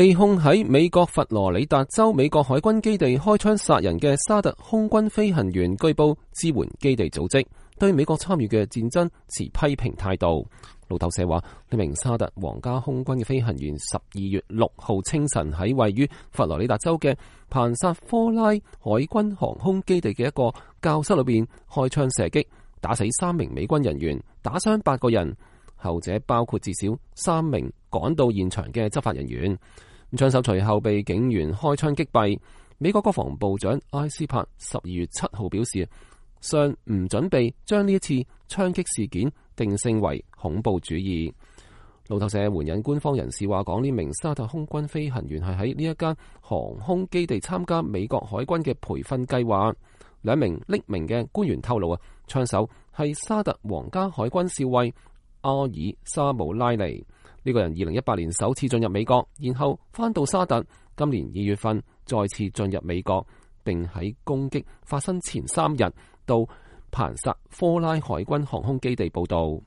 被控喺美國佛羅里達州美國海軍基地開槍殺人嘅沙特空軍飛行員，據報支援基地組織，對美國參與嘅戰爭持批評態度。路透社話，呢名沙特皇家空軍嘅飛行員12月6號清晨喺位於佛羅里達州嘅彭薩科拉海軍航空基地嘅一個教室裏邊開槍射擊，打死3名美軍人員，打傷8個人，後者包括至少3名趕到現場嘅執法人員。槍手隨後被警員開槍擊斃。美國國防部長埃斯珀12月7號表示，尚唔準備將呢一次槍擊事件定性為恐怖主義。路透社援引官方人士話，講呢名沙特空軍飛行員係喺呢一間航空基地參加美國海軍嘅培訓計劃。2名匿名嘅官員透露，槍手係沙特皇家海軍少尉阿爾沙姆拉尼。呢個人2018年首次進入美國，然後返到沙特，今年2月份再次進入美國，並喺攻擊發生前3日到彭薩科拉海軍航空基地報到。